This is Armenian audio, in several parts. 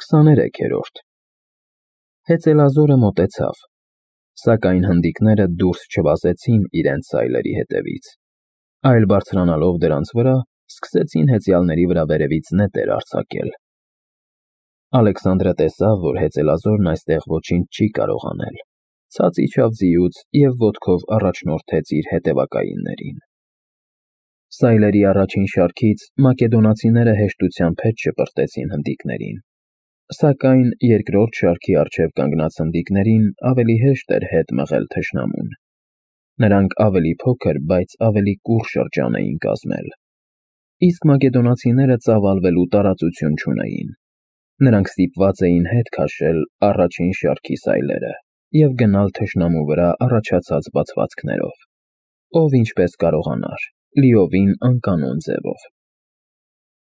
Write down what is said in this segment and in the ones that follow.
23-րդ Հեծելազորը մոտեցավ, սակայն հնդիկները դուրս չվազեցին իրենց սայլերի հետևից, այլ բարձրանալով դրանց վրա, սկսեցին հեծյալների վրա վերևից նետեր արձակել։ Ալեքսանդրը տեսավ, որ հեծելազորն այստեղ ոչինչ չի կարող անել, ցած իջավ ձիուց և ոտքով առաջնորդեց իր հետևակայիններին։ Սայլերի առաջին շարքից մակեդոնացիները հեշտությամբ հետ շպրտեցին հնդիկներին, սակայն երկրորդ շարքի առջև կանգնած հնդիկներին ավելի հեշտ էր հետ մղել թշնամուն։ Նրանք ավելի փոքր, բայց ավելի կուռ շրջան էին կազմել, իսկ մակեդոնացիները ծավալվելու տարածություն չունեին։ Նրանք ստիպված էին հետ քաշել առաջին շարքի սայլերը և գնալ թշնամու վրա առաջացած բացվածքներով, ով ինչպես կարողանար, լիովին անկանոն ձևով։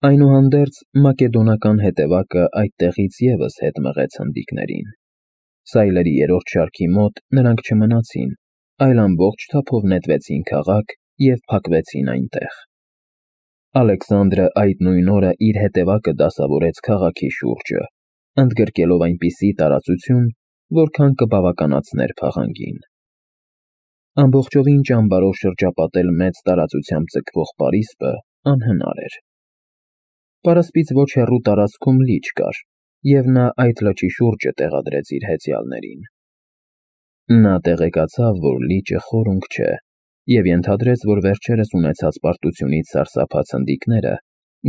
Այնուհանդերձ մակեդոնական հետևակը այդտեղից ևս հետ մղեց հնդիկներին։ Սայլերի երրորդ շարքի մոտ նրանք չմնացին, այլ ամբողջ թափով նետվեցին քաղաք և փակվեցին այնտեղ։ Ալեքսանդրը այդ նույն օրը իր հետևակը դասավորեց քաղաքի շուրջը, ընդգրկելով այնպիսի տարածություն, որքան կբավականացներ փաղանգին։ Ամբողջովին ճամբարով շրջապատել մեծ տարածությամբ ձգվող պարիսպը անհնար էր։ Պարսպից ոչ հեռու տարածքում լիճ կար, և նա այդ լճի շուրջը տեղադրեց իր հեծյալներին։ Նա տեղեկացավ, որ լիճը խորունկ չէ, և ենթադրեց, որ վերջերս ունեցած պարտությունից սարսափած հնդիկները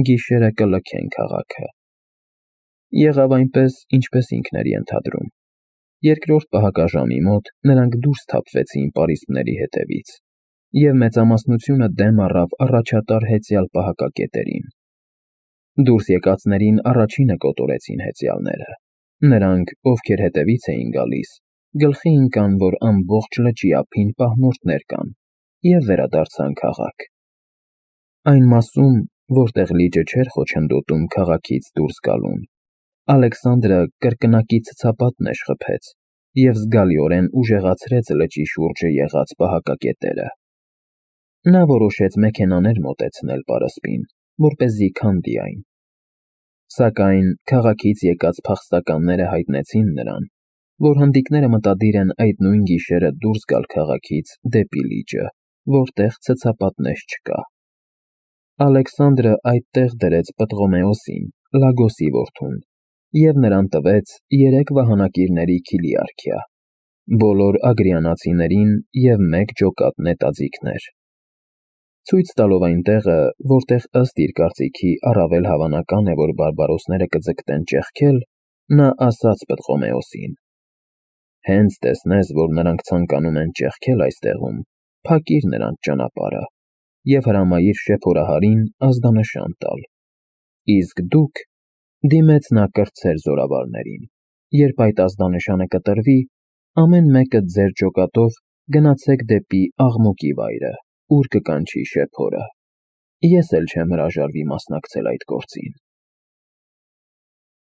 գիշերը կլքեն քաղաքը։ Եղավ այնպես, ինչպես ինքն էր ենթադրում։ Երկրորդ պահակաժամի մոտ նրանք դուրս թափվեցին պարիսպների հետևից, և մեծամասնությունը դեմ առավ առաջատար հեծյալ պահակակետերին։ Դուրս եկածներին առաջինը կոտորեցին հեծյալները։ Նրանք, ովքեր հետևից էին գալիս, գլխի ընկան, որ ամբողջ լճի ափին պահնորդներ կան, և վերադարձան քաղաք։ Այն մասում, որտեղ լիճը չէր խոչընդոտում քաղաքից դուրս գալուն, Ալեքսանդրը կրկնակի ցցապատներ խփեց և զգալիորեն ուժեղացրեց լճի շուրջը եղած պահակակետերը։ Նա որոշեց մեքենաներ մոտեցնել պարսպին, որպեսզի քանդի այն։ Սակայն քաղաքից եկած փախստականները հայտնեցին նրան, որ հնդիկները մտադիր են այդ նույն գիշերը դուրս գալ քաղաքից դեպի լիճը, որտեղ ցցապատներ չկա։ Ալեքսանդրը այդտեղ դրեց Պտղոմեոսին, Լագոսի որդուն, և նրան տվեց 3 վահանակիրների քիլիարքիա, բոլոր ագրիանացիներին և 1 ջոկատ նետաձիգներ։ Ցույց տալով այն տեղը, որտեղ ըստ իր կարծիքի առավել հավանական է, որ բարբարոսները կձգտեն ճեղքել, նա ասաց Պտղոմեոսին. «Հենց տեսնես, որ նրանք ցանկանում են ճեղքել այստեղում, փակիր նրանց ճանապարհը և հրամայիր շեփորահարին ազդանշան տալ։ Իսկ դուք», դիմեց նա կրտսեր զորավարներին, «երբ այդ ազդանշանը կտրվի, ամեն մեկը ձեր ջոկատով գնացեք դեպի աղմուկի վայրը, ուր կկանչի շեփորը։ Ես էլ չեմ հրաժարվի մասնակցել այդ գործին»։